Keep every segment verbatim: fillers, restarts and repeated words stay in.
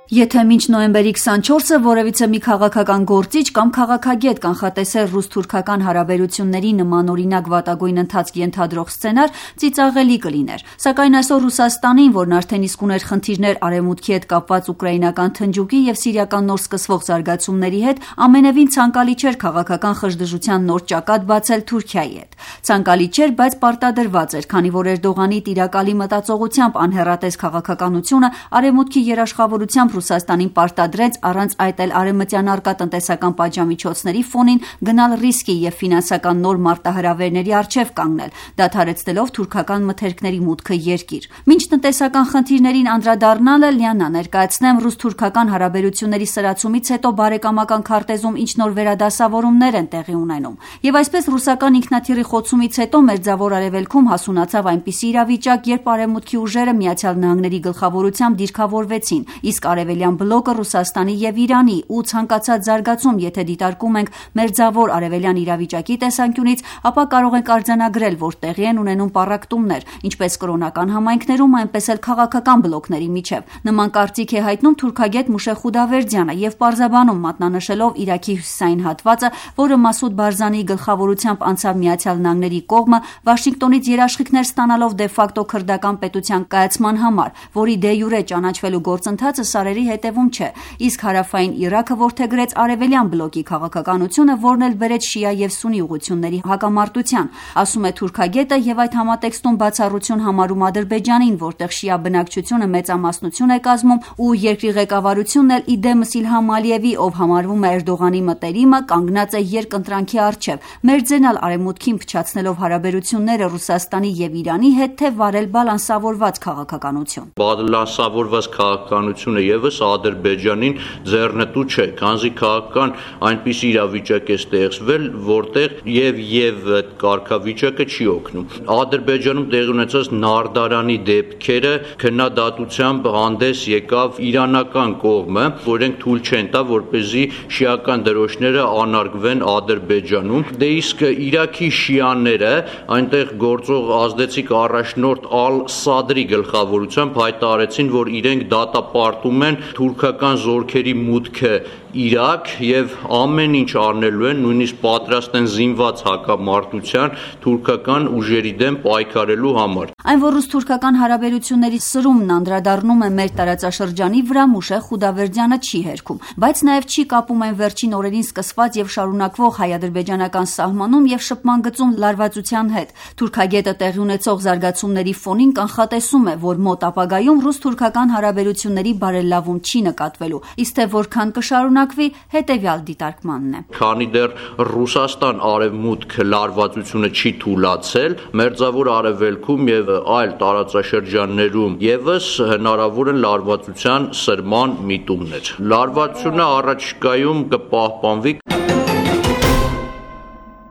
Եթե մինչ նոյեմբերի քսանչորսը որևիցե մի քաղաքական գործիչ կամ քաղաքագետ կանխատեսեր ռուս-թուրքական հարաբերությունների նմանօրինակ վատագույն ընթացք ենթադրող սցենար, ծիծաղելի կլիներ։ Սակայն այսօր Ռուսաստանին, որն արդեն իսկ ուներ խնդիրներ Արևմուտքի հետ կապված ուկրաինական թնջուկի եւ սիրիական նոր սկսվող զարգացումների հետ, ամենևին ցանկալի չէր քաղաքական խժդժության նոր ճակատ բացել Թուրքիայի հետ։ Ցանկալի չէր, բայց պարտադրված էր, քանի որ Էրդողանի տիրակալի մտածողությամբ անհեռատես քաղաքականությունը Արևմուտքի երաշխավորությամբ Ռուսաստանին պարտադրեց առանց այդ էլ արևմտյան առկա տնտեսական պատժամիջոցների ֆոնին գնալ ռիսկի եւ ֆինանսական նոր մարտահրավերների առջեւ կանգնել, դադարեցնելով թուրքական մթերքների մուտքը երկիր։ Մինչ տնտեսական խնդիրներին անդրադառնալը լիանա ներկայացնեմ ռուս-թուրքական հարաբերությունների սրացումից հետո բարեկամական քարտեզում ինչ նոր վերադասավորումներ են տեղի ունենում։ Եվ այսպես ռուսական ինքնաթիռի խոցումից հետո Մերձավոր Արևելքում հասունացավ այնպիսի իրավիճակ, երբ Արևմուտքի ուժերը Միացյալ Նահանգների գլխավորությամբ դիրքավորվեցին, իսկ Արևելյան բլոկը Ռուսաստանի եւ Իրանի ու ցանկացած զարգացում, եթե դիտարկում ենք Մերձավոր Արևելյան իրավիճակի տեսանկյունից, ապա կարող ենք արձանագրել, որ տեղի են ունենում պառակտումներ, ինչպես կրոնական համայնքներում, այնպես էլ քաղաքական բլոկների միջև։ Նման կարծիք է հայտնում թուրքագետ Մուշե Խուդավերդյանը եւ պարզաբանում մատնանշելով Իրաքի հյուսիսային հատվածը, որը Մասուդ Բարզանիի գլխավորությամբ անցավ Միացյալ Նահանգների կողմը, Վաշինգտոնից երաշխիքներ ստանալով դե ֆակտո քրդական պետության կայացման համար, որի դե յուրե ճանաչվելու գործընթացը սարերի հետևում չէ, իսկ հարավային Իրաքը որդեգրեց արևելյան բլոկի քաղաքականությունը, որն էլ բերեց շիա եւ սունի ուղղությունների հակամարտության, ասում է թուրքագետը եւ այդ համատեքստում բացառություն համարում Ադրբեջանին, որտեղ շիա բնակչությունը մեծամասնություն է կազմում ու երկրի ղեկավարությունն էլ իդեմս Իլհամ Ալիևի, ով համարվում է Էրդողանի մտերիմը, կանգնած է երկընտրանքի առջև, մերձենալ Արևմուտքին փչացնելով հարաբերությունները Ռուսաստանի եւ Իրանի հետ, թե վարել բալանսավորված քաղաքականություն։ Բալանսավորված քաղաքականությունը եւս Ադրբեջանին ձեռնտու չէ, քանզի քաղաքական այնպիսի իրավիճակ է ստեղծվել, որտեղ եւ եւ այդ կարգավիճակը չի օգնում։ Ադրբեջանում տեղի ունեցած Նարդարանի դեպքերը քննադատությամբ հանդես եկավ իրանական կողմը, որ իրենք թույլ չեն տա, որպեսզի շիական դրոշները անարգվեն Ադրբեջանում։ Դե իսկ Իրաքի շիաները այնտեղ գործող ազդեցիկ առաջնորդ Ալ-Սադրի գլխավորությամբ հայտարարեցին, որ իրենք դատապարտում են թուրքական զորքերի մուտքը Իրաք եւ ամեն ինչ արնելու են, նույնիսկ պատրաստ են զինված հակամարտության թուրքական ուժերի դեմ պայքարելու համար։ Այն որ ռուս-թուրքական հարաբերությունների սրումն անդրադառնում է մեր տարածաշրջանի վրա, Մուշե Խուդավերդյանը չի հերքում, բայց նաեւ չի կապում այն վերջին օրերին սկսված եւ շարունակվող հայ-ադրբեջանական սահմանում եւ շփման գծում լարվածության հետ։ Թուրքագետը տեղի ունեցող զարգացումների ֆոնին կանխատեսում է, որ մոտ ապագայում ռուս-թուրքական հարաբերությունների բարելավում չի նկատվելու, իսկ թե որքան կշարունակվի, հետեւյալ դիտարկմանն է։ Քանի դեռ Ռուսաստան-Արևմուտք լարվածությունը չի թուլացել, Մերձավոր Արևելքում եւ այլ տարածաշրջաններում եւս հնարավոր են լարվածության սրման միտումներ։ Լարվածությունը առաջիկայում կպահպանվի։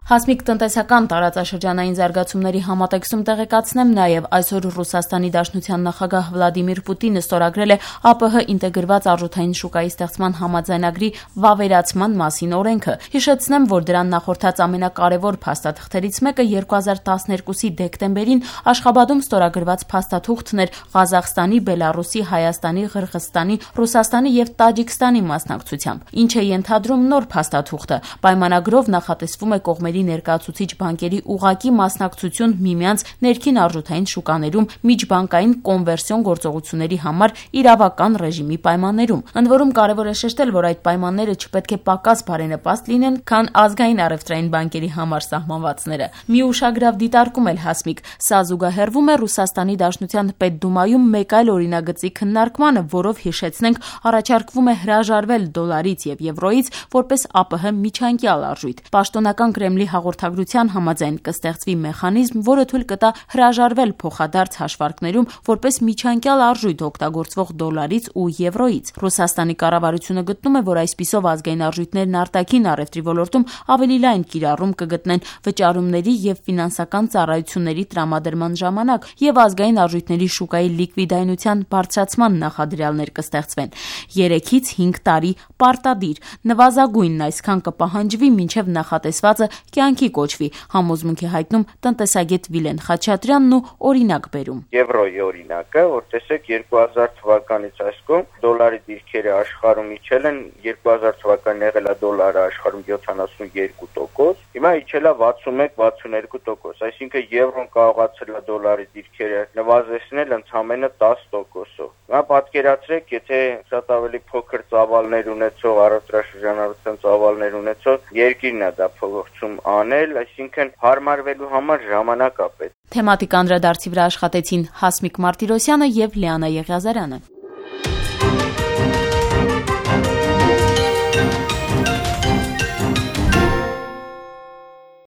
Հասմիկ տնտեսական տարածաշրջանային զարգացումների համատեքստում տեղեկացնեմ նաև այսօր Ռուսաստանի Դաշնության նախագահ Վլադիմիր Պուտինը ստորագրել է ԱՊՀ ինտեգրված արժութային շուկայի ստեղծման համաձայնագրի վավերացման մասին օրենքը։ Հիշեցնեմ, որ դրան նախորդած ամենակարևոր փաստաթղթերից մեկը երկու հազար տասներկուսի դեկտեմբերին Աշխաբադում ստորագրված փաստաթուղթն էր Ղազախստանի, Բելարուսի, Հայաստանի, Ղրղըզստանի, Ռուսաստանի եւ Տաջիկստանի մասնակցությամբ, ինչը ենթադրում նոր փաստաթուղթը։ Պայմանագրով նախատեսվում է կողմերի ներկայացուցիչ բանկերի ուղղակի մասնակցություն միմյանց ներքին արժութային շուկաներում միջբանկային կոնվերսիոն գործողությունների համար իրավական ռեժիմի պայմաններում։ Ընդ որում կարևոր է շեշտել, որ այդ պայմանները չպետք է պակաս բարենպաստ լինեն, քան ազգային առևտրային բանկերի համար սահմանվածները։ Մի ուշագրավ դիտարկում էլ Հասմիկ, սա զուգահեռվում է Ռուսաստանի Դաշնության Պետդումայում մեկ այլ օրինագծի քննարկմանը, որով հիշեցնենք առաջարկվում է հրաժարվել դոլարից եւ եվրոից որպես ԱՊՀ միջանկյալ արժույթ։ Պաշտոնական Կրեմլի հաղորդագրության համաձայն կստեղծվի մեխանիզմ, որը թույլ կտա հրաժարվել փոխադարձ հաշվարկներում որպես միջանկյալ արժույթ օգտագործվող դոլարից ու եվրոից։ Ռուսաստանի կառավարությունը գտնում է, որ այսպիսով ազգային արժույթներն արտաքին առևտրի ոլորտում ավելի լայն կիրառում կգտնեն վճարումների եւ ֆինանսական ծառայությունների տրամադրման ժամանակ եւ ազգային արժույթների շուկայի լիկվիդայնության բարձրացման նախադրյալներ կստեղծվեն։ երեքից հինգ տարի պարտադիր, նվազագույնն այսքան կպահանջվի, մինչև նախատեսվածը կյանքի կոչվի, համոզմունքի հայտնում տնտեսագետ Վիլեն Խաչատրյանն ու օրինակ բերում։ Եվրոյի օրինակը, որ տեսեք երկու հազար թվականից այս կողմ դոլարի դիրքերը աշխարհում իջել են, երկու հազար թվականին եղել է դոլարը աշխարհում յոթանասունյոթ տոկոս, հիմա իջել է վաթսունմեկ վաթսունհինգ տոկոս, այսինքն եվրոն կարողացել է դոլարի դիրքերը նվազեցնել ընդամենը տասը տոկոսով։ Հիմա պատկերացրեք, եթե շատ ավելի փոքր ծավալներ ունեցող, առևտրաշրջանառության ծավալներ ունեցող երկիրն է դա փորձում անել, այսինքն հարմարվելու համար ժամանակ է պետք։ Թեմատիկ անդրադարձի վրա աշխատեցին Հասմիկ Մարտիրոսյանը եւ Լիանա Եղիազարյանը։